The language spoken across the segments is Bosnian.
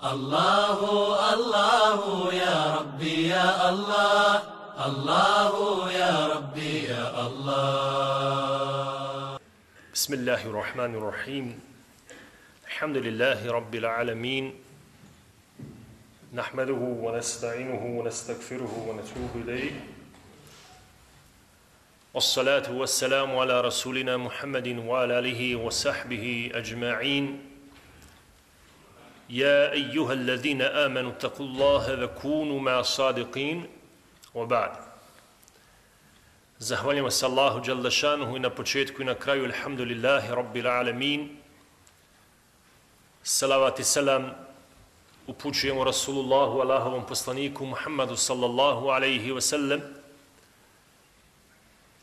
Allahu, Allahu, ya Rabbi, ya Allah. Allahu, ya Rabbi, ya Allah. Bismillahirrahmanirrahim. Alhamdulillahi Rabbil alamin. Nahmaduhu wa nasta'inuhu wa nastaghfiruhu wa natubu ilayh. Wassalatu wassalamu ala rasulina Muhammadin wa ala alihi wa sahbihi ajma'in. يا أيها الذين آمنوا اتقوا الله وكونوا مع الصادقين وبعد. Zahvaljujemo se Allahu dželle šanuhu i na početku i na kraju alhamdulillahi rabbil alamin. Salavat i selam upućujemo Rasulullahu, Allahovom poslaniku Muhammadu sallallahu alaihi wa sallam,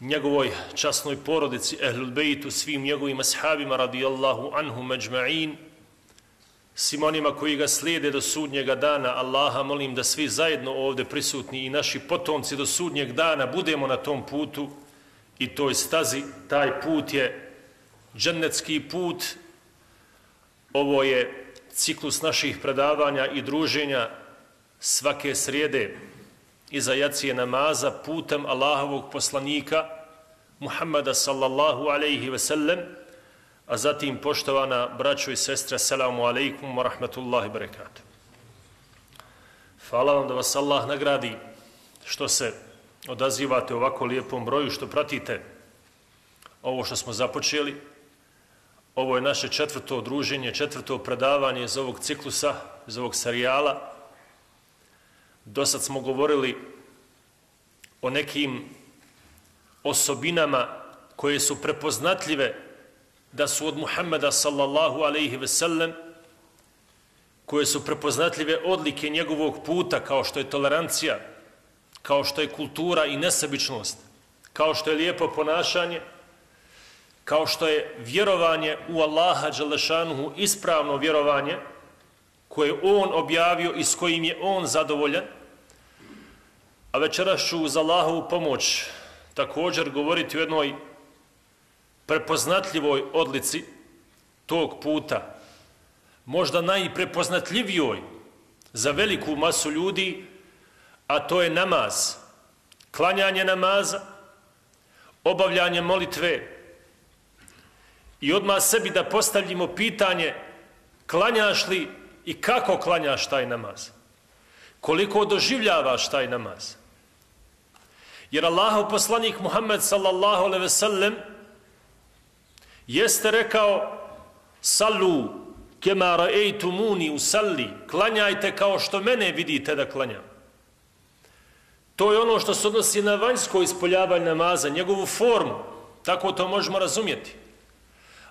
njegovoj časnoj porodici Ehlul Bejtu, svim njegovim ashabima radijallahu anhum ajma'in, svim onima koji ga slijede do sudnjega dana. Allaha molim da svi zajedno ovdje prisutni i naši potomci do sudnjeg dana budemo na tom putu i toj stazi. Taj put je džennetski put. Ovo je ciklus naših predavanja i druženja svake srijede iza jacije namaza putem Allahovog poslanika Muhammada sallallahu alaihi ve sellem. A zatim, poštovana braćo i sestre, assalamu alaikum wa rahmatullahi barakatuh. Hvala vam da vas Allah nagradi što se odazivate ovako lijepom broju, što pratite ovo što smo započeli. Ovo je naše četvrto druženje, četvrto predavanje iz ovog ciklusa, iz ovog serijala. Dosad smo govorili o nekim osobinama koje su prepoznatljive da su od Muhammeda sallallahu alaihi ve sellem, koje su prepoznatljive odlike njegovog puta, kao što je tolerancija, kao što je kultura i nesebičnost, kao što je lijepo ponašanje, kao što je vjerovanje u Allaha dželle šanuhu, ispravno vjerovanje koje on objavio i s kojim je on zadovoljan. A večeras ću uz Allahovu pomoć također govoriti o jednoj prepoznatljivoj odlici tog puta, možda najprepoznatljivijoj za veliku masu ljudi, a to je namaz, klanjanje namaza, obavljanje molitve. I odmah sebi da postavljimo pitanje, klanjaš li i kako klanjaš taj namaz? Koliko doživljavaš taj namaz? Jer Allahov poslanik Muhammed sallallahu alejhi ve sellem jeste rekao: sallu kema ra'aytumuni usalli, klanjajte kao što mene vidite da klanjam. To je ono što se odnosi na vanjsko ispoljavanje namaza, njegovu formu, tako to možemo razumjeti.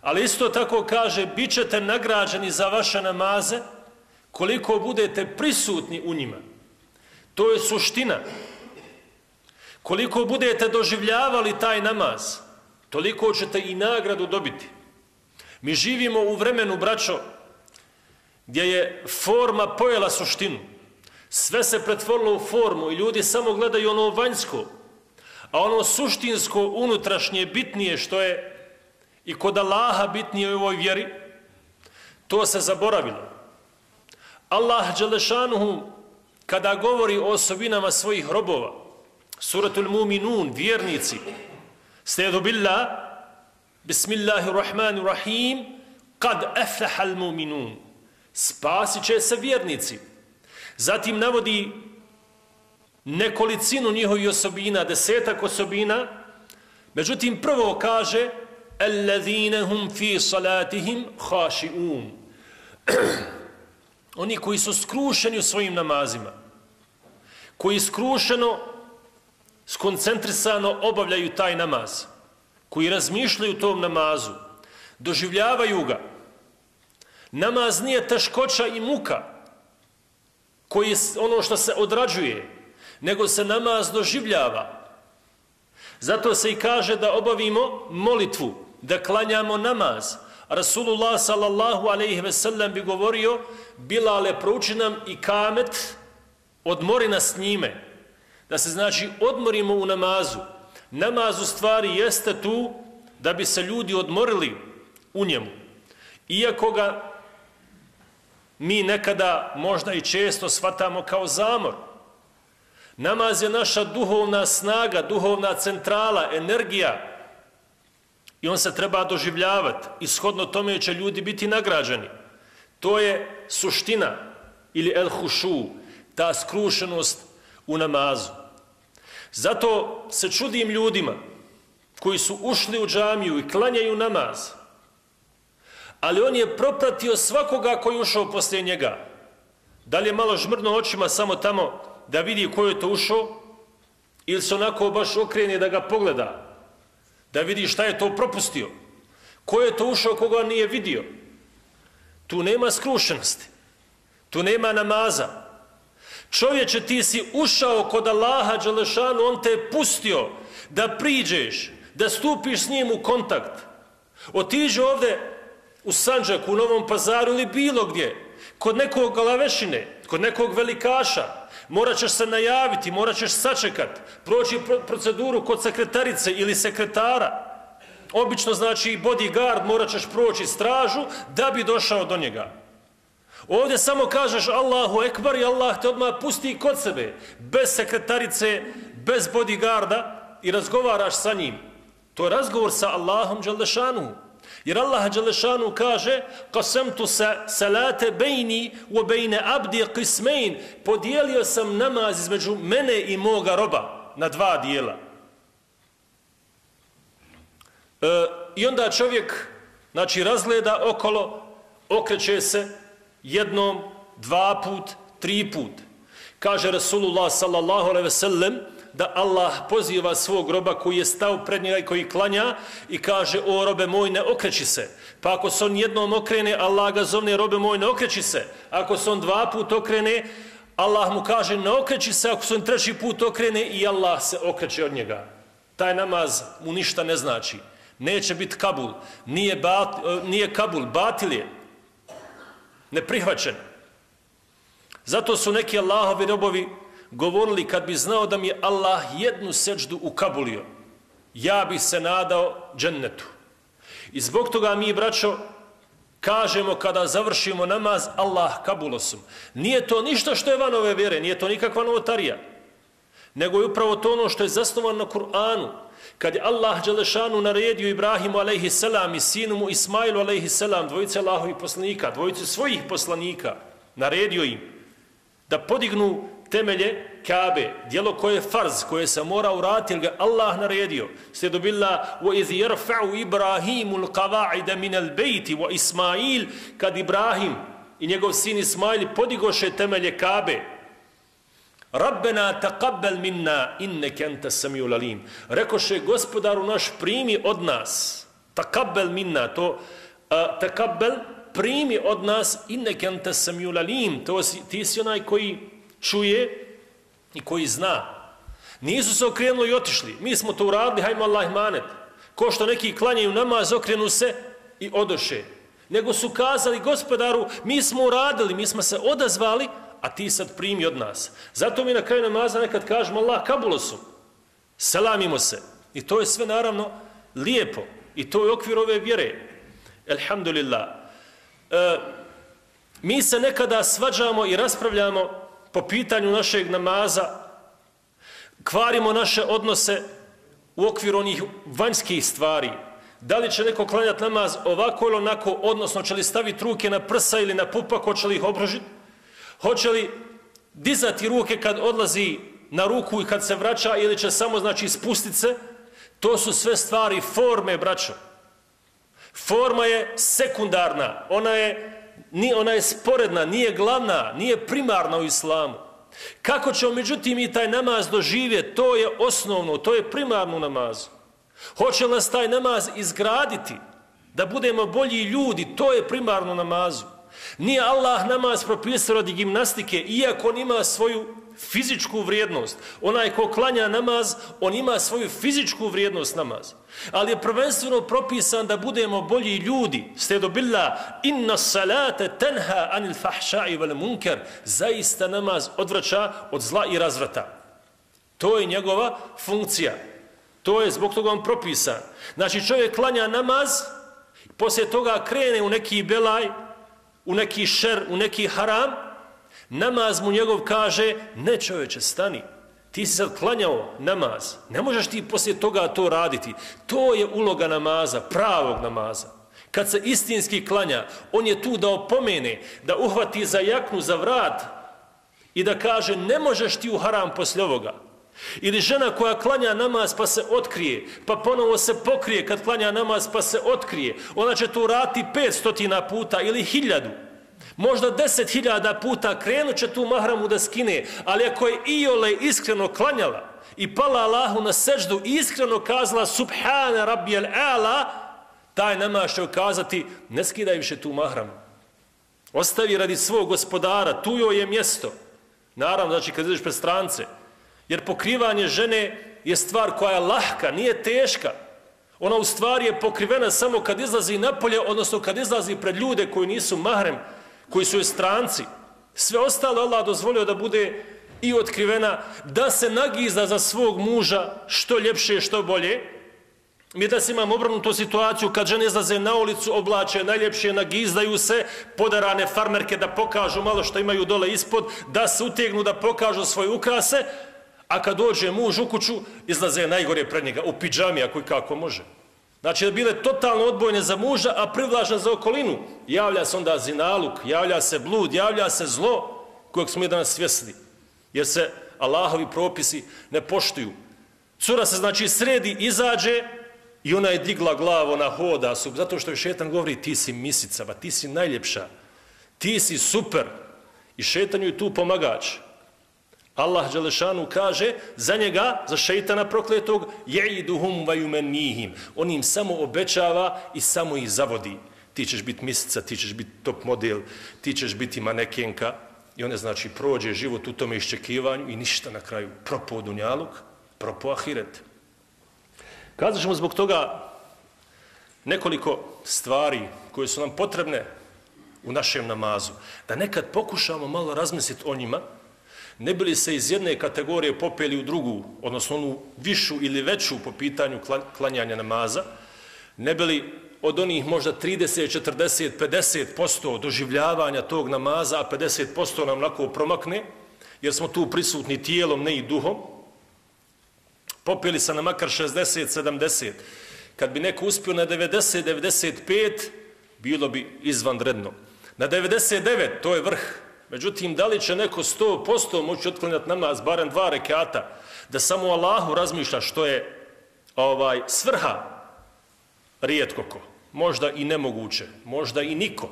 Ali isto tako kaže, bit ćete nagrađeni za vaše namaze koliko budete prisutni u njima. To je suština. Koliko budete doživljavali taj namaz, toliko ćete i nagradu dobiti. Mi živimo u vremenu, braćo, gdje je forma pojela suštinu. Sve se pretvorilo u formu i ljudi samo gledaju ono vanjsko, a ono suštinsko, unutrašnje, bitnije, što je i kod Allaha bitnije u ovoj vjeri, to se zaboravilo. Allah dželle šanuhu, kada govori o osobinama svojih robova, suratul Muminun, vjernici, Sta'udhu billah, bismillahirrahmanirrahim, kad aflahal mu'minun, spasit će se vjernici. Zatim navodi nekolicinu njihovih osobina, 10 osobina, međutim prvo kaže alladhina hum fi salatihim khashi'un, oni koji su skrušeni u svojim namazima, koji skrušeno, skoncentrisano obavljaju taj namaz, koji razmišljaju o tom namazu, doživljavaju ga. Namaz nije teškoća i muka, koji je ono što se odrađuje, nego se namaz doživljava. Zato se i kaže da obavimo molitvu, da klanjamo namaz. Rasulullah sallallahu alaihi ve sellem bi govorio: Bilale, prouči nam i kamet, odmori nas s njime. Da se znači odmorimo u namazu. Namaz u stvari jeste tu da bi se ljudi odmorili u njemu. Iako ga mi nekada možda i često shvatamo kao zamor. Namaz je naša duhovna snaga, duhovna centrala, energija i on se treba doživljavati i shodno tome će ljudi biti nagrađeni. To je suština ili el hušu, ta skrušenost u namazu. Zato se čudim ljudima koji su ušli u džamiju i klanjaju namaz, ali on je propratio svakoga koji je ušao poslije njega. Da li je malo žmrno očima samo tamo da vidi ko je to ušao, ili se onako baš okrene da ga pogleda, da vidi šta je to propustio, ko je to ušao koga nije vidio. Tu nema skrušenosti, tu nema namaza. Čovječe, ti si ušao kod Allaha dželešanu, on te je pustio da priđeš, da stupiš s njim u kontakt. Otiđi ovdje u Sandžaku, u Novom Pazaru ili bilo gdje, kod nekog galavešine, kod nekog velikaša, morat ćeš se najaviti, morat ćeš sačekat, proći proceduru kod sekretarice ili sekretara. Obično znači bodyguard, morat ćeš proći stražu da bi došao do njega. Ovdje samo kažeš Allahu ekbar i Allah te odmah pusti kod sebe, bez sekretarice, bez bodyguarda i razgovaraš sa njim. To je razgovor sa Allahom dželešanu. Jer Allah dželešanu kaže qasamtu salate bejni wa bejne abdi qismain, podijelio sam namaz između mene i moga roba na dva dijela. I onda čovjek znači razgleda okolo, okreće se jednom, dva put, tri put. Kaže Rasulullah sallallahu alejhi ve sellem da Allah poziva svog roba koji je stao pred njega i koji klanja i kaže: o robe moj, ne okreći se. Pa ako se on jednom okrene, Allah ga zovne: robe moj, ne okreći se. Ako se on dva put okrene, Allah mu kaže: ne okreći se. Ako se on treći put okrene, i Allah se okreće od njega. Taj namaz mu ništa ne znači. Neće biti kabul. Nije kabul, batil je. Neprihvaćen. Zato su neki Allahovi robovi govorili: kad bi znao da mi je Allah jednu seđdu ukabulio, ja bi se nadao džennetu. I zbog toga mi, braćo, kažemo kada završimo namaz: Allah kabulosum. Nije to ništa što je van ove vjere, nije to nikakva novotarija, nego je upravo to ono što je zasnovano na Kur'anu. Kad je Allah dželešanu naredio Ibrahimu alejhi selam i sinu mu Ismailu alejhi selam, dvojice Allahovih poslanika, dvojice svojih poslanika, naredio im da podignu temelje Kabe, djelo koje je farz, koje se mora uraditi, jer ga Allah naredio. Slijedu billah: وَإِذْ يَرْفَعُ إِبْرَاهِيمُ الْقَوَاعِدَ مِنَ الْبَيْتِ وَإِسْمَاعِيلُ, kad Ibrahim i njegov sin Ismail podigoše temelje Kabe: Rabbena taqabbal minna innaka anta samiul alim. Rekoše: Gospodaru naš, primi od nas. Taqabbal minna, to taqabbal, primi od nas, innaka anta samiul alim. To ti si onaj koji čuje i koji zna. Nisu se okrenuli i otišli. Mi smo to uradili, hajmo Allah imanet. Ko što neki klanjaju namaz, okrenu se i odoše. Nego su kazali: Gospodaru, mi smo uradili, mi smo se odazvali, a ti sad primi od nas. Zato mi na kraju namaza nekad kažemo: Allah kabulosum, selamimo se. I to je sve naravno lijepo. I to je okvir ove vjere. Elhamdulillah. Mi se nekada svađamo i raspravljamo po pitanju našeg namaza, kvarimo naše odnose u okviru onih vanjskih stvari. Da li će neko klanjati namaz ovako ili onako, odnosno će li staviti ruke na prsa ili na pupak, hoće li ih obružiti, hoće li dizati ruke kad odlazi na ruku i kad se vraća, ili će samo znači spustiti se. To su sve stvari forme, braćo. Forma je sekundarna, ona je sporedna, nije glavna, nije primarna u islamu. Kako ćemo međutim i taj namaz doživjeti, to je osnovno, to je primarno namazu. Hoće li nas taj namaz izgraditi, da budemo bolji ljudi, to je primarno namazu. Nije Allah namaz propisao radi gimnastike, iako on ima svoju fizičku vrijednost. Onaj ko klanja namaz, on ima svoju fizičku vrijednost namaz. Ali je prvenstveno propisan da budemo bolji ljudi. Slijedu billah: inna salate tenha anil fahšai vel munker. Zaista namaz odvraća od zla i razvrata. To je njegova funkcija. To je zbog toga on propisan. Znači čovjek klanja namaz, poslije toga krene u neki belaj, u neki šer, u neki haram, namaz mu njegov kaže, ne čovječe, stani, ti si sad klanjao namaz, ne možeš ti poslije toga to raditi. To je uloga namaza, pravog namaza. Kad se istinski klanja, on je tu da opomene, da uhvati za jaknu, za vrat i da kaže, ne možeš ti u haram poslije ovoga. Ili žena koja klanja namaz pa se otkrije, pa ponovo se pokrije kad klanja namaz pa se otkrije, ona će to raditi 500 puta ili 1000. Možda 10.000 puta krenut će tu mahramu da skine, ali ako je iole iskreno klanjala i pala Allahu na seždu i iskreno kazala Subhana Rabbijel A'la, taj namaz će ukazati, ne skidaj više tu mahramu. Ostavi radi svog gospodara, tu joj je mjesto. Naravno, znači kad ideš pred strance, jer pokrivanje žene je stvar koja je lahka, nije teška. Ona u stvari je pokrivena samo kad izlazi napolje, odnosno kad izlazi pred ljude koji nisu mahrem, koji su joj stranci. Sve ostalo Allah dozvolio da bude i otkrivena, da se nagizda za svog muža što ljepše, što bolje. Mi da se imamo obrnutu situaciju kad žene izlaze na ulicu, oblače najljepše, nagizdaju se, podarane farmerke da pokažu malo što imaju dole ispod, da se utegnu, da pokažu svoje ukrase, a kad dođe muž u kuću, izlaze najgore pred njega, u pidžami, ako i kako može. Znači da bile totalno odbojne za muža, a privlažne za okolinu. Javlja se onda zinaluk, javlja se blud, javlja se zlo kojeg smo i danas svjesni. Jer se Allahovi propisi ne poštuju. Cura se znači sredi, izađe i ona je digla glavu, ona hoda, zato što je šetan govori ti si misicava, ti si najljepša, ti si super. I šetan ju tu pomagač. Allah dželešanu kaže za njega, za šejtana prokletog, ya'iduhum wa yumannihim. On im samo obećava i samo ih zavodi. Ti ćeš biti misica, ti ćeš biti top model, ti ćeš biti manekenka. I one znači prođe život u tome iščekivanju i ništa na kraju. Propao dunjaluk, propao ahiret. Kazat ćemo zbog toga nekoliko stvari koje su nam potrebne u našem namazu. Da nekad pokušamo malo razmisliti o njima, ne bili se iz jedne kategorije popeli u drugu, odnosno onu višu ili veću po pitanju klanjanja namaza, ne bili od onih možda 30, 40, 50% doživljavanja tog namaza, a 50% nam onako promakne, jer smo tu prisutni tijelom, ne i duhom, popeli se na makar 60, 70. Kad bi neko uspio na 90, 95, bilo bi izvanredno. Na 99, to je vrh. Međutim, da li će neko 100% moći otklanjati namaz, barem 2 rekata, da samo Allahu razmišlja što je svrha, rijetko ko. Možda i nemoguće, možda i niko.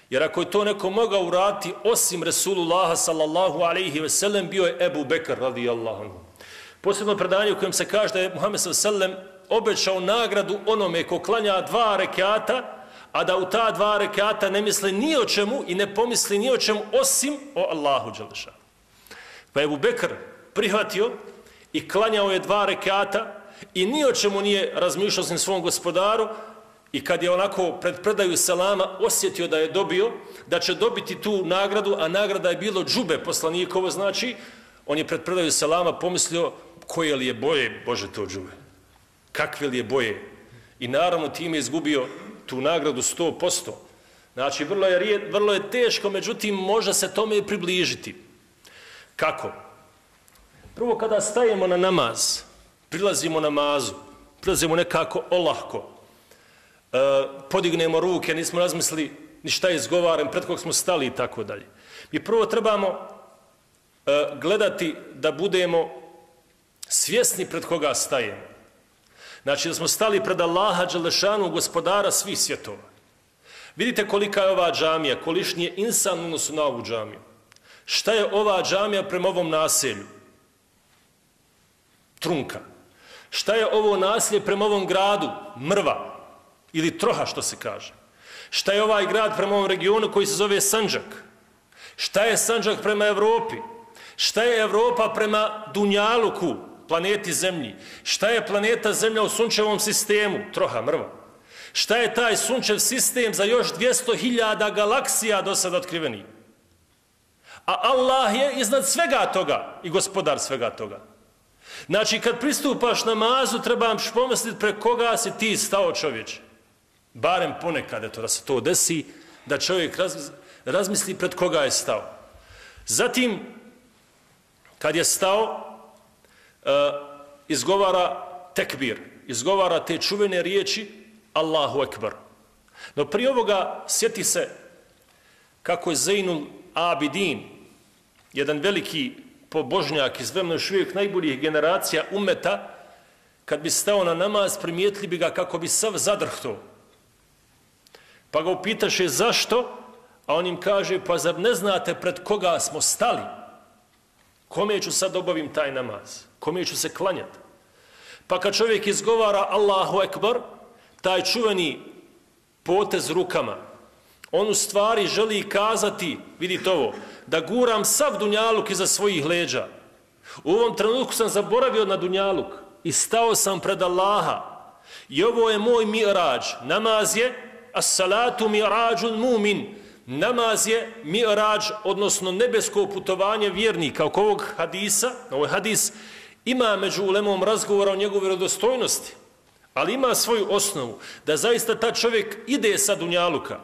Jer ako je to neko mogao uraditi osim Resulullaha sallallahu alaihi ve sellem, bio je Ebu Bekr radijallahu anhu. Posebno predanje u kojem se kaže da je Muhammed sallallahu alaihi ve sellem obećao nagradu onome ko klanja 2 rekata, a da u ta 2 rekata ne misli ni o čemu i ne pomisli ni o čemu osim o Allahu dželešanu. Pa je Ebu Bekr prihvatio i klanjao je 2 rekata i ni o čemu nije razmišljao s svom gospodaru i kad je onako pred predaju selama osjetio da je dobio, da će dobiti tu nagradu, a nagrada je bilo džube poslanikovo, znači, on je pred predaju selama pomislio koje li je boje, Bože to džube, kakve li je boje. I naravno time je izgubio tu nagradu 100%. Znači, vrlo je teško, međutim, može se tome i približiti. Kako? Prvo, kada stajemo na namaz, prilazimo namazu, prilazimo nekako olahko, podignemo ruke, nismo razmislili ni šta izgovaram, pred kog smo stali i tako dalje. Mi prvo trebamo gledati da budemo svjesni pred koga stajemo. Znači da smo stali pred Allaha dželešanu, gospodara svih svjetova. Vidite kolika je ova džamija, kolišni je insan u odnosu na ovu džamiju. Šta je ova džamija prema ovom naselju? Trunka. Šta je ovo naselje prema ovom gradu? Mrva. Ili troha, što se kaže. Šta je ovaj grad prema ovom regionu koji se zove Sandžak? Šta je Sandžak prema Evropi? Šta je Evropa prema Dunjaluku, planeti Zemlji? Šta je planeta Zemlja u sunčevom sistemu? Troha, mrva. Šta je taj sunčev sistem za još 200.000 galaksija do sada otkrivenih? A Allah je iznad svega toga i gospodar svega toga. Znači, kad pristupaš namazu, trebaš pomisliti pre koga si ti stao, čovječe. Barem ponekad, eto, da se to desi, da čovjek razmisli pred koga je stao. Zatim, kad je stao, izgovara tekbir, izgovara te čuvene riječi Allahu Ekber. No prije ovoga sjeti se kako je Zejnul Abidin, jedan veliki pobožnjak iz vremena još uvijek najboljih generacija umeta, kad bi stao na namaz, primijetili bi ga kako bi sav zadrhto. Pa ga upitaše zašto, a on im kaže, pa zar ne znate pred koga smo stali? Kome ću sad obavim taj namaz? Kome ću se klanjati? Pa kad čovjek izgovara Allahu Ekber, taj čuveni potez rukama, on u stvari želi kazati, vidite ovo, da guram sav dunjaluk iza svojih leđa. U ovom trenutku sam zaboravio na dunjaluk i stao sam pred Allaha. I ovo je moj mi'rađ. Namaz je as-salatu mi'rađul mumin. Namaz je mi'rađ, odnosno nebesko putovanje vjernika. Oko ovog hadisa, ovaj hadis ima među ulemom razgovora o njegovoj vjerodostojnosti, ali ima svoju osnovu, da zaista ta čovjek ide sa dunjaluka.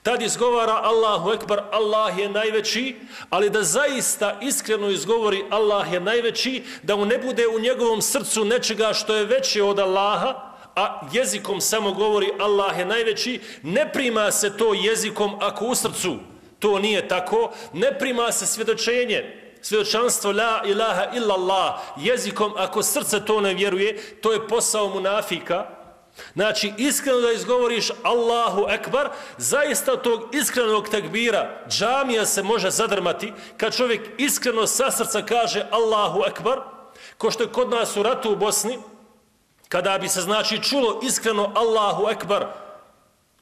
Tad izgovara Allahu Ekber, Allah je najveći, ali da zaista iskreno izgovori Allah je najveći, da mu ne bude u njegovom srcu nečega što je veće od Allaha, a jezikom samo govori Allah je najveći, ne prima se to jezikom ako u srcu to nije tako, ne prima se svjedočanstvo la ilaha illallah jezikom ako srce to ne vjeruje, to je posao munafika. Znači, iskreno da izgovoriš Allahu Ekber, zaista tog iskrenog tekbira džamija se može zadrmati kad čovjek iskreno sa srca kaže Allahu Ekber, ko što je kod nas u ratu u Bosni, kada bi se znači čulo iskreno Allahu Ekber,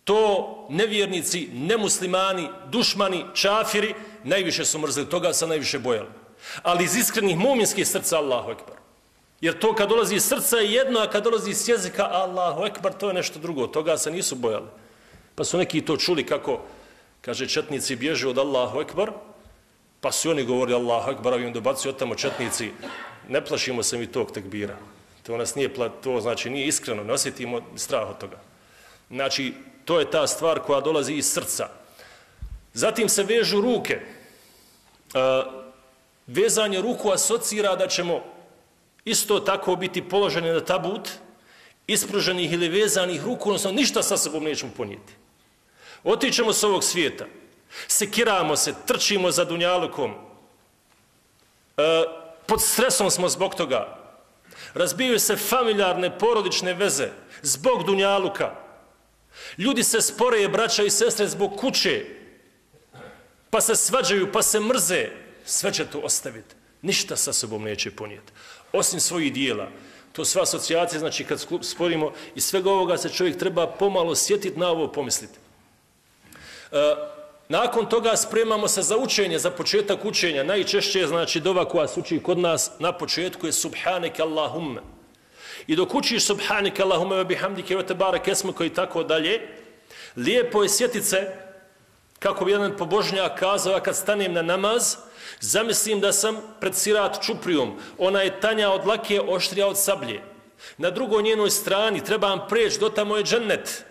to nevjernici, nemuslimani, dušmani, čafiri najviše su mrzili, toga se najviše bojali. Ali iz iskrenih muminskih srca Allahu Ekber. Jer to kad dolazi iz srca je jedno, a kad dolazi iz jezika Allahu Ekber, to je nešto drugo. Toga se nisu bojali. Pa su neki to čuli kako, kaže, četnici bježe od Allahu Ekber, pa su oni govorili Allahu Ekber, a im dobacuju od tamo četnici, ne plašimo se mi tog tekbira. To nas nije, to znači nije iskreno, ne osjetimo strah od toga. Znači, to je ta stvar koja dolazi iz srca. Zatim se vežu ruke. Vezanje ruku asocira da ćemo isto tako biti položeni na tabut, ispruženih ili vezanih ruku, odnosno ništa sa sobom nećemo ponijeti. Otićemo s ovog svijeta, sekiramo se, trčimo za dunjalukom, pod stresom smo zbog toga, razbijaju se familijarne, porodične veze zbog dunjaluka, ljudi se sporeje, braća i sestre, zbog kuće, pa se svađaju, pa se mrze, sve će to ostaviti. Ništa sa sobom neće ponijeti. Osim svojih dijela. To sva asocijacija, znači kad sporimo iz svega ovoga se čovjek treba pomalo sjetiti, na ovo pomisliti. Nakon toga spremamo se za učenje, za početak učenja. Najčešće znači dova koja se uči kod nas na početku je Subhaneke Allahumma. I dok učiš Subhaneke Allahumma wa bihamdike wa tebareke esmuke i tako dalje, lijepo je sjetiti se, kako bi jedan pobožnjak kazao, kad stanem na namaz, zamislim da sam pred Sirat čuprijom, ona je tanja od lake, oštrija od sablje. Na drugoj njenoj strani trebam preći, do tamo je džennet.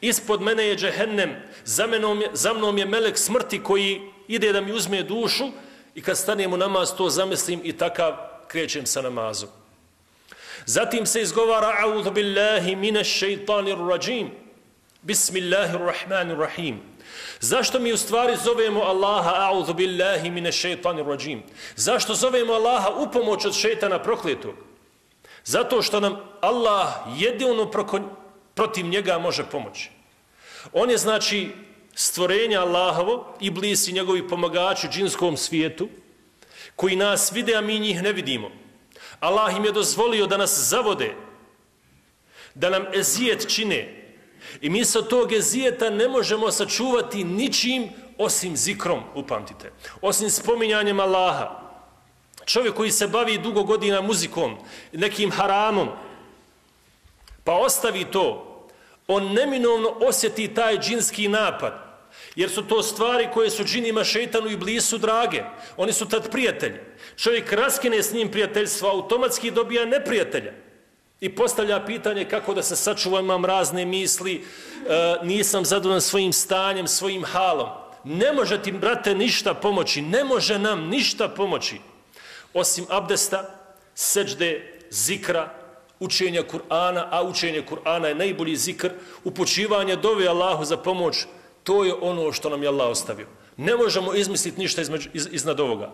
Ispod mene je džehennem, za mnom je melek smrti koji ide da mi uzme dušu i kad stanem u namaz to zamislim i takav krećem sa namazom. Zatim se izgovara A'udhu billahi minash shaitanir rajim. Bismillahirrahmanirrahim. Zašto mi u stvari zovemo Allaha A'udhu billahi minash shaitanir rajim? Zašto zovemo Allaha u pomoć od šejtana prokletog? Zato što nam Allah jedino protiv njega može pomoći. On je znači stvorenja Allahovo, iblis i njegovi pomagači u džinskom svijetu, koji nas vide, a mi njih ne vidimo. Allah im je dozvolio da nas zavode, da nam ezijet čine. I mi sa tog ezijeta ne možemo sačuvati ničim osim zikrom, upamtite. Osim spominjanjem Allaha. Čovjek koji se bavi dugo godina muzikom, nekim haramom, pa ostavi to, on neminovno osjeti taj džinski napad. Jer su to stvari koje su džinima, šejtanu i iblisu drage. Oni su tad prijatelji. Čovjek raskine s njim prijateljstvo, automatski dobija neprijatelja. I postavlja pitanje kako da se sačuvam, imam razne misli, nisam zadovoljan svojim stanjem, svojim halom. Ne može ti, brate, ništa pomoći, ne može nam ništa pomoći, osim abdesta, seđde, zikra, učenja Kur'ana, a učenje Kur'ana je najbolji zikr, upućivanje dove Allahu za pomoć, to je ono što nam je Allah ostavio. Ne možemo izmisliti ništa iznad ovoga.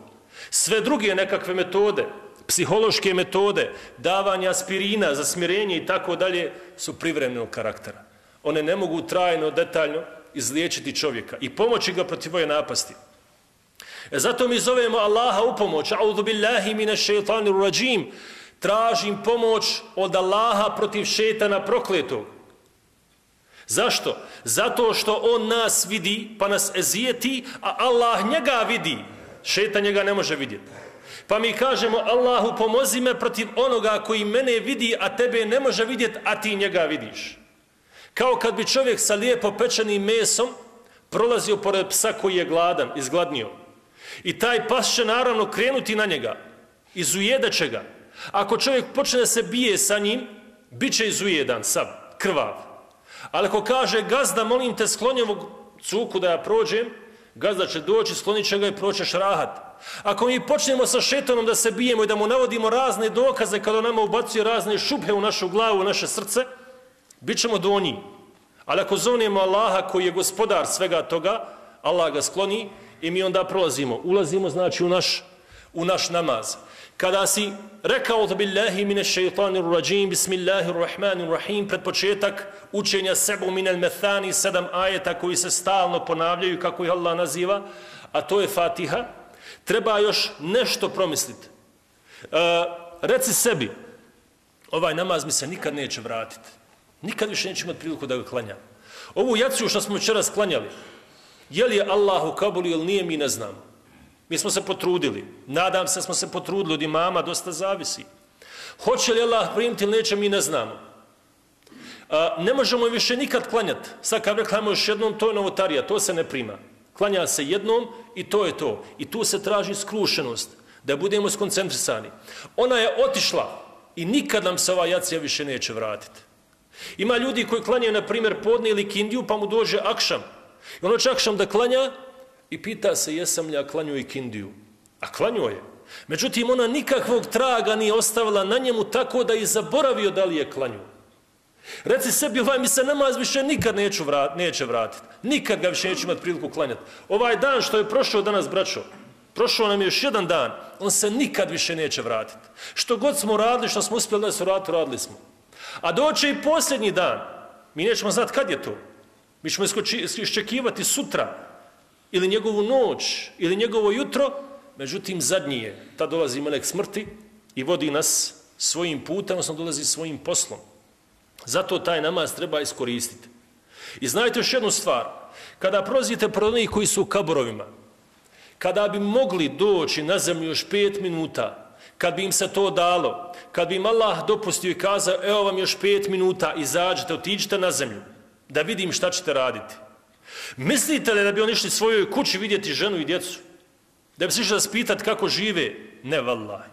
Sve druge nekakve metode, psihološke metode, davanja aspirina za smirenje i tako dalje, su privremenog karaktera. One ne mogu trajno, detaljno izliječiti čovjeka i pomoći ga protiv ove napasti. Zato mi zovemo Allaha u pomoć. A'udhu billahi minash shaitanir rajim. Tražim pomoć od Allaha protiv šetana prokletog. Zašto? Zato što on nas vidi, pa nas ezijeti, a Allah njega vidi. Šetan njega ne može vidjeti. Pa mi kažemo, Allahu, pomozi me protiv onoga koji mene vidi, a tebe ne može vidjeti, a ti njega vidiš. Kao kad bi čovjek sa lijepo pečenim mesom prolazio pored psa koji je gladan, izgladnio. I taj pas će naravno krenuti na njega, izujedaće ga. Ako čovjek počne da se bije sa njim, bit će izujedan, sav, krvav. Ali ako kaže, gazda, molim te, skloni ovog cuku da ja prođem, gazda će doći, sklonit će ga i proćeš rahat. Ako mi počnemo sa šetanom da se bijemo i da mu navodimo razne dokaze kada nama ubacuje razne šubhe u našu glavu, u naše srce, bit ćemo donji. Ali ako zovnemo Allaha koji je gospodar svega toga, Allah ga skloni i mi onda prolazimo. Ulazimo znači u naš namaz. Kada si rekao billahi minash shaitanir rajim, bismillahirrahmanirrahim, pred početak učenja sebu minel methani, 7 ajeta koji se stalno ponavljaju kako ih Allah naziva, a to je Fatiha, treba još nešto promisliti. Reci sebi, ovaj namaz mi se nikad neće vratiti. Nikad više neće imati priliku da ga klanjam. Ovu jaciju što smo večeras klanjali, je li je Allah u Kabulu ili nije, mi ne znamo. Mi smo se potrudili. Nadam se smo se potrudili, od imama dosta zavisi. Hoće li Allah primiti ili neće, mi ne znamo. Ne možemo više nikad klanjati. Sad kad reklamamo još jednom, to je novotarija, to se ne prima. Klanja se jednom i to je to. I tu se traži skrušenost, da budemo skoncentrisani. Ona je otišla i nikad nam se ova jacija više neće vratiti. Ima ljudi koji klanjaju, na primjer, podne ili kindiju, pa mu dođe akšam. I ono će akšam da klanja i pita se jesam li ja klanju i kindiju. A klanju je. Međutim, ona nikakvog traga nije ostavila na njemu tako da je zaboravio da li je klanju. Reci sebi, ovaj mi se namaz više nikad neće vratiti. Nikad ga više neće imati priliku klanjati. Ovaj dan što je prošao danas, braćo, prošao nam je još jedan dan, on se nikad više neće vratiti. Što god smo radili, što smo uspjeli da se radili smo. A doće i posljednji dan. Mi nećemo znati kad je to. Mi ćemo iščekivati sutra, ili njegovu noć, ili njegovo jutro, međutim zadnji je. Tad dolazi melek smrti i vodi nas svojim putem, odnosno dolazi svojim poslom. Zato taj namaz treba iskoristiti. I znajte još jednu stvar, kada prolazite pred onih koji su u kaburovima, kada bi mogli doći na zemlju još 5 minuta, kad bi im se to dalo, kad bi im Allah dopustio i kazao, evo vam još 5 minuta, izađite, otiđite na zemlju, da vidim šta ćete raditi. Mislite li da bi oni išli svojoj kući vidjeti ženu i djecu? Da bi se išli da spitati kako žive? Ne, vallahi.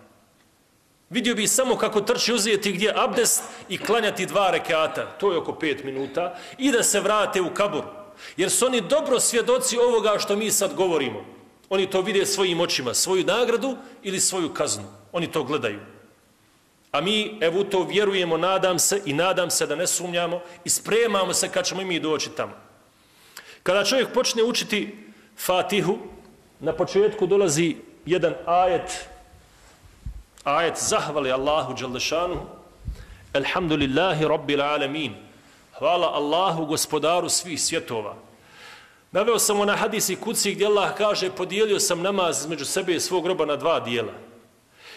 Vidio bi samo kako trči uzeti gdje abdest i klanjati 2 rekata, to je oko 5 minuta, i da se vrate u kabur. Jer su oni dobro svjedoci ovoga što mi sad govorimo. Oni to vide svojim očima, svoju nagradu ili svoju kaznu. Oni to gledaju. A mi, evo, u to vjerujemo, nadam se da ne sumnjamo i spremamo se kad ćemo i mi doći tamo. Kada čovjek počne učiti Fatihu, na početku dolazi jedan ajet zahvali Allahu dželešanu, elhamdulillahi rabbil alamin, hvala Allahu gospodaru svih svjetova. Naveo sam na hadisi kuci gdje Allah kaže, podijelio sam namaz između sebe i svog roba na 2 dijela.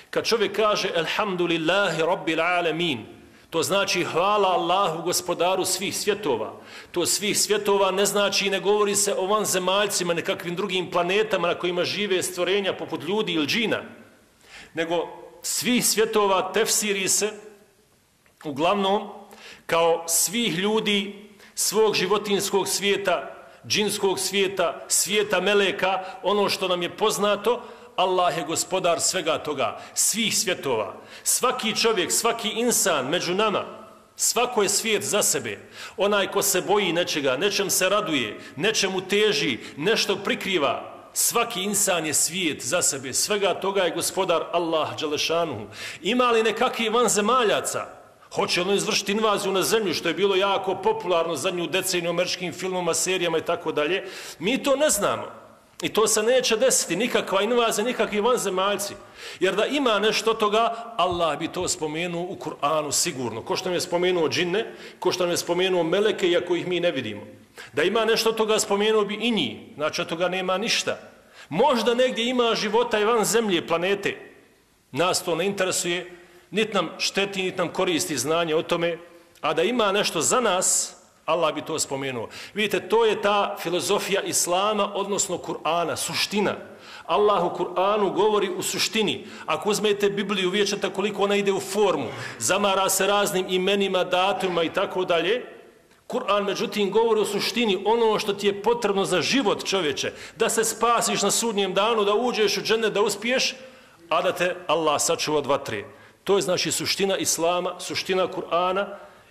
Kad čovjek kaže elhamdulillahi rabbil alamin, to znači hvala Allahu gospodaru svih svjetova. To svih svjetova ne znači i ne govori se o vanzemaljcima, nekakvim drugim planetama na kojima žive stvorenja poput ljudi ili džina, nego svih svjetova tefsiri se uglavnom kao svih ljudi, svog životinskog svijeta, džinskog svijeta, svijeta meleka, ono što nam je poznato, Allah je gospodar svega toga, svih svjetova. Svaki čovjek, svaki insan među nama, svako je svijet za sebe. Onaj ko se boji nečega, nečem se raduje, nečemu teži, nešto prikriva. Svaki insan je svijet za sebe. Svega toga je gospodar Allah dželešanuhu. Ima li nekakvih vanzemaljaca? Hoće li izvršiti invaziju na zemlju, što je bilo jako popularno zadnju deceniju u američkim filmama, serijama i tako dalje? Mi to ne znamo. I to se neće desiti, nikakva invazija, nikakvi vanzemaljci. Jer da ima nešto toga, Allah bi to spomenuo u Kur'anu sigurno. Ko što nam je spomenuo džinne, ko što nam je spomenuo meleke, iako ih mi ne vidimo. Da ima nešto toga, spomenuo bi i njih. Znači, od toga nema ništa. Možda negdje ima života i van zemlje, planete. Nas to ne interesuje, niti nam šteti, niti nam koristi znanje o tome. A da ima nešto za nas, Allah bi to spomenuo. Vidite, to je ta filozofija Islama, odnosno Kur'ana, suština. Allah u Kur'anu govori u suštini. Ako uzmete Bibliju, vidjet ćete koliko ona ide u formu. Zamara se raznim imenima, datumima i tako dalje. Kur'an, međutim, govori u suštini ono što ti je potrebno za život čovječe. Da se spasiš na sudnjem danu, da uđeš u džennet, da uspiješ, a da te Allah sačuva od vatre. To je znači suština Islama, suština Kur'ana,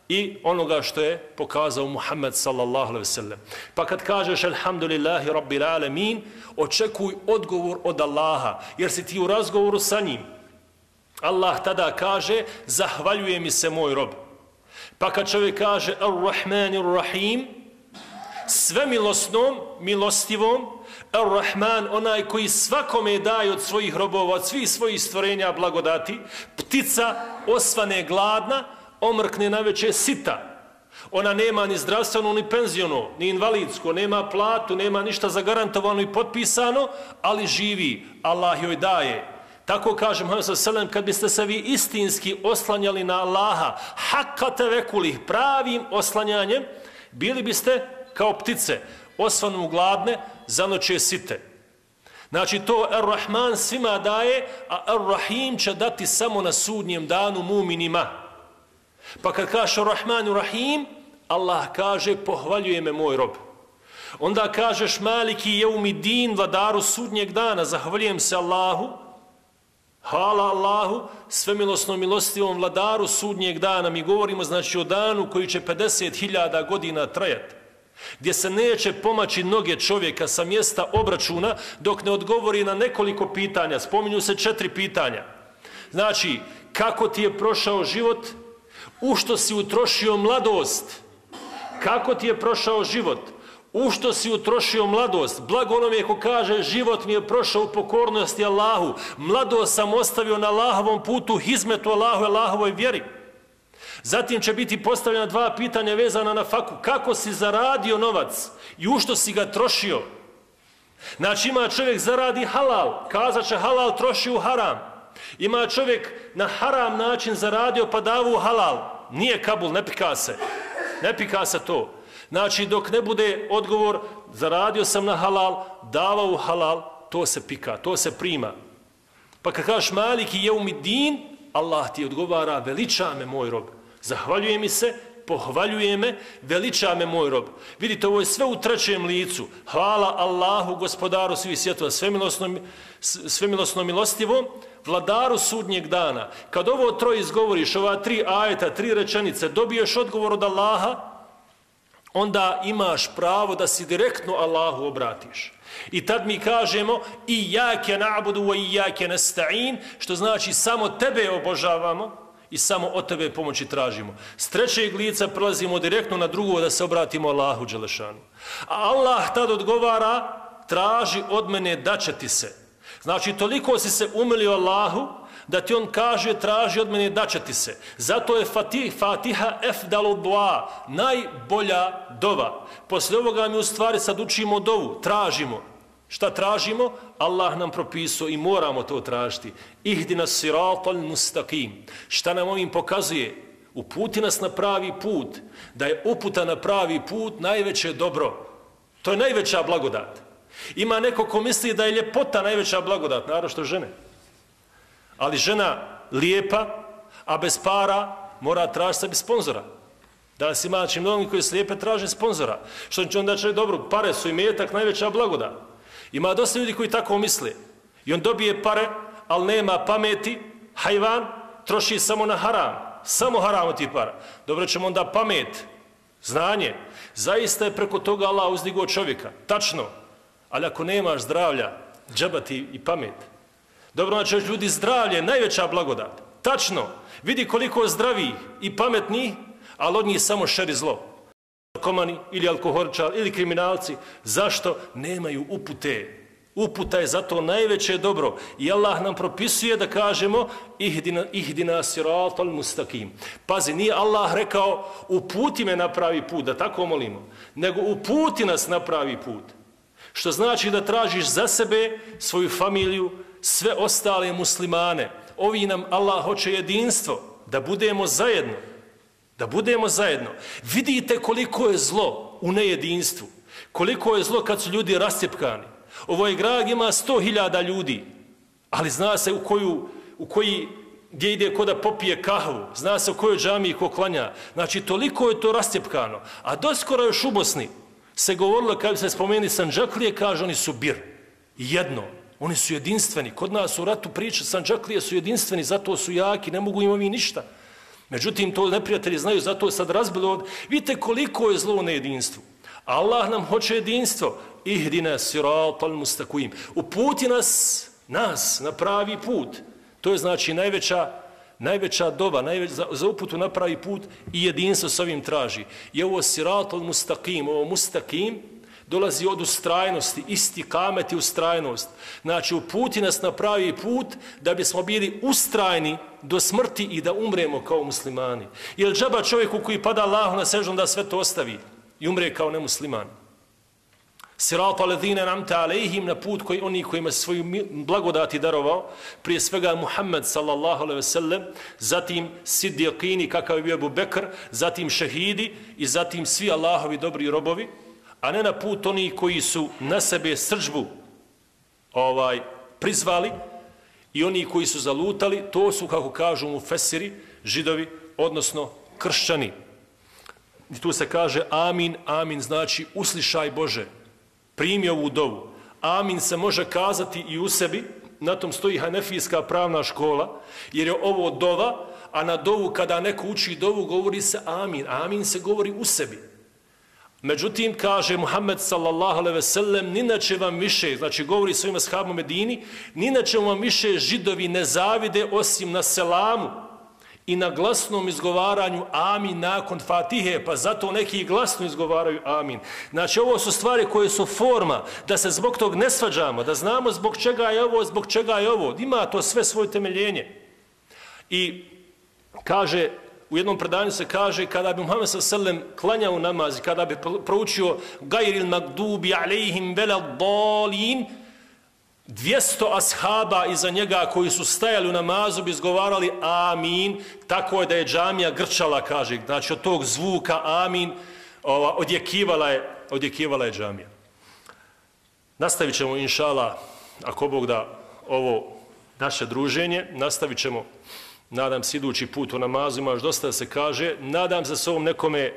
i onoga što je pokazao Muhammed sallallahu alejhi ve sellem. Pa kad kažeš alhamdulillahi rabbil alamin, očekuj odgovor od Allaha, jer si ti u razgovoru sa njim. Allah tada kaže zahvaljuje mi se moj rob. Pa kad čovjek kaže ar-Rahmanir Rahim, svemilosnom, milostivom, ar-Rahman, onaj koji svakome daje od svojih robova, od svih svojih stvorenja blagodati, ptica osvane gladna, omrkne naveče sita. Ona nema ni zdravstveno, ni penziono, ni invalidsko, nema platu, nema ništa zagarantovano i potpisano, ali živi, Allah joj daje. Tako kaže Muhammed sallallahu alejhi ve sellem, kad biste se vi istinski oslanjali na Allaha, hakka tevekulih, pravim oslanjanjem, bili biste kao ptice, osvanu gladne, zanoće site. Znači to Ar-Rahman svima daje, a Ar-Rahim će dati samo na sudnjem danu mu'minima. Pa kad kaže Ar-Rahmanu Rahim, Allah kaže pohvaljuje me moj rob. Onda kažeš Maliki Jeumidin, vladaru sudnjeg dana, zahvaljujem se Allahu, hvala Allahu, svemilosnom milostivom vladaru sudnjeg dana. Mi govorimo znači o danu koji će 50.000 godina trajati, gdje se neće pomaći noge čovjeka sa mjesta obračuna dok ne odgovori na nekoliko pitanja. Spominju se 4 pitanja. Znači, kako ti je prošao život, u što si utrošio mladost, kako ti je prošao život, u što si utrošio mladost. Blago onome ko kaže život mi je prošao u pokornosti Allahu, mladost sam ostavio na Allahovom putu, hizmetu Allahu i Allahovoj vjeri. Zatim će biti postavljena 2 pitanja vezana na faku. Kako si zaradio novac i u što si ga trošio? Znači ima čovjek zaradi halal, kazat će halal troši u haram. Ima čovjek na haram način zaradio pa davu u halal. Nije kabul, ne pika se. Ne pika se to. Znači dok ne bude odgovor zaradio sam na halal, davao u halal, to se pika, to se prima. Pa kad kažeš Maliki Jeumidin, Allah ti odgovara veliča me moj rob. Zahvaljuje mi se, pohvaljuje me, veliča me moj rob. Vidite, ovo je sve u trećem licu. Hvala Allahu, gospodaru svih svjetova, svemilosnom milostivom, vladaru sudnjeg dana. Kad ovo troje izgovoriš, ova 3 ajeta, 3 rečenice, dobiješ odgovor od Allaha, onda imaš pravo da si direktno Allahu obratiš. I tad mi kažemo Iyake na'budu wa iyake nasta'in, što znači samo tebe obožavamo i samo od tebe pomoći tražimo. S trećeg lica prelazimo direktno na drugo da se obratimo Allahu dželešanu. A Allah tad odgovara traži od mene da će ti se. Znači toliko si se umilio Allahu da ti on kaže traži od mene da će ti se. Zato je Fatiha efdalu dua, najbolja dova. Poslije ovoga mi u stvari sad učimo dovu, tražimo. Šta tražimo? Allah nam propisao i moramo to tražiti. Ihdina siratal mustaqim. Šta nam ovim pokazuje? Uputi nas na pravi put. Da je uputa na pravi put najveće dobro. To je najveća blagodat. Ima neko ko misli da je ljepota najveća blagodat, naravno što žene. Ali žena lijepa, a bez para mora tražiti sebi sponzora. Danas ima znači mnogi koji se lijepe traže sponzora. Što će onda će dobro, pare su i metak najveća blagodat. Ima dosta ljudi koji tako misle. I on dobije pare, ali nema pameti, hajvan, troši samo na haram. Samo haram od tih para. Dobro ćemo onda pamet, znanje. Zaista je preko toga Allah uzdigao čovjeka. Tačno. Ali ako nemaš zdravlja, džaba ti i pamet. Dobro, znači ljudi, zdravlje je najveća blagodat. Tačno. Vidi koliko zdravih i pametnih, ali od njih samo šer i zlo. Narkomani ili alkoholičari ili kriminalci. Zašto? Nemaju upute. Uputa je zato najveće dobro. I Allah nam propisuje da kažemo ihdina siratal mustaqim. Pazi, nije Allah rekao uputi me na pravi put, da tako molimo, nego uputi nas na pravi put. Što znači da tražiš za sebe, svoju familiju, sve ostale muslimane. Ovi nam Allah hoće jedinstvo, da budemo zajedno. Da budemo zajedno. Vidite koliko je zlo u nejedinstvu. Koliko je zlo kad su ljudi rascjepkani. Ovoj grad ima 100.000 ljudi, ali zna se gdje ide ko da popije kahvu, zna se u kojoj džamiji ko klanja. Znači, toliko je to rascjepkano. A doskoro još u Bosni se govorilo, kad se spomeni Sandžaklije, kaže oni su bir. Jedno. Oni su jedinstveni. Kod nas u ratu priča Sandžaklije su jedinstveni, zato su jaki, ne mogu imati ništa. Međutim, to neprijatelji znaju, zato sad razbilo od... Vidite koliko je zlo u nejedinstvu. Allah nam hoće jedinstvo. Ihdina siratal mustaqim. Uputi nas na pravi put. To je znači najveća doba, za uputu na pravi put i jedinstvo s ovim traži. I ovo siratal mustaqim, ovo mustaqim dolazi od ustrajnosti, istikamet i ustrajnost. Znači uputi nas na pravi put da bismo bili ustrajni do smrti i da umremo kao muslimani. Jer džaba čovjeku koji pada Allahu na seždu da sve to ostavi i umre kao nemusliman. Sirata ledine namte alejhim, na put oni kojima se svoju blagodati darovao, prije svega Muhammed sallallahu alejhi ve sellem, zatim siddiqini kakav je bio Abu Bekr, zatim šehidi i zatim svi Allahovi dobri robovi, a ne na put oni koji su na sebe srdžbu prizvali i oni koji su zalutali, to su, kako kažu mufesiri, židovi, odnosno kršćani. I tu se kaže amin, amin znači uslišaj Bože, primi ovu dovu. Amin se može kazati i u sebi, na tom stoji hanefijska pravna škola, jer je ovo dova, a na dovu kada neko uči dovu govori se amin. Amin se govori u sebi. Međutim, kaže Muhammed sallallahu alejhi ve sellem, ninače vam više, znači govori svojim ashabima Medini, ninače vam više židovi ne zavide osim na selamu i na glasnom izgovaranju amin nakon Fatihe, pa zato neki glasno izgovaraju amin. Znači, ovo su stvari koje su forma, da se zbog tog ne svađamo, da znamo zbog čega je ovo, zbog čega je ovo. Ima to sve svoje temeljenje. I kaže, u jednom predanju se kaže, kada bi Muhammed s.a.v. klanjao namaz, kada bi proučio gajril magdubi alejhim veleddalin, 200 ashaba iza njega koji su stajali u namazu bi izgovarali amin, tako je da je džamija grčala, kaže, znači od tog zvuka amin odjekivala je džamija. Nastavit ćemo, inšallah, ako Bog da, ovo naše druženje, nastavit ćemo, nadam se, idući put u namazu, ima još dosta da se kaže, nadam se s ovom nekome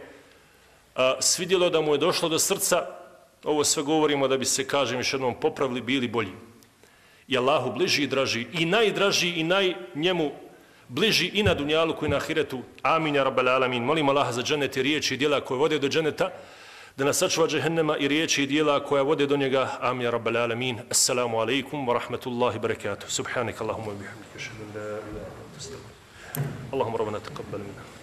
svidjelo da mu je došlo do srca, ovo sve govorimo da bi se, kažem još jednom, popravili, bili bolji. I Allahu bliži i draži, i najdraži i njemu bliži i na dunjaluku i na ahiretu. Amin, ja rabbal alamin. Molim Allaha za džennet i riječi i dijela koje vode do dženneta, da nas sačuva džehennema i riječi i dijela koja vode do njega. Amin, ja rabbal alamin. Assalamu alaikum wa rahmatullahi wa barakatuh. Subhanak Allahumma wa bihamdika. Ashhadu an la ilaha illa anta astaghfiruka. Allahumma rabbana taqabbal minna.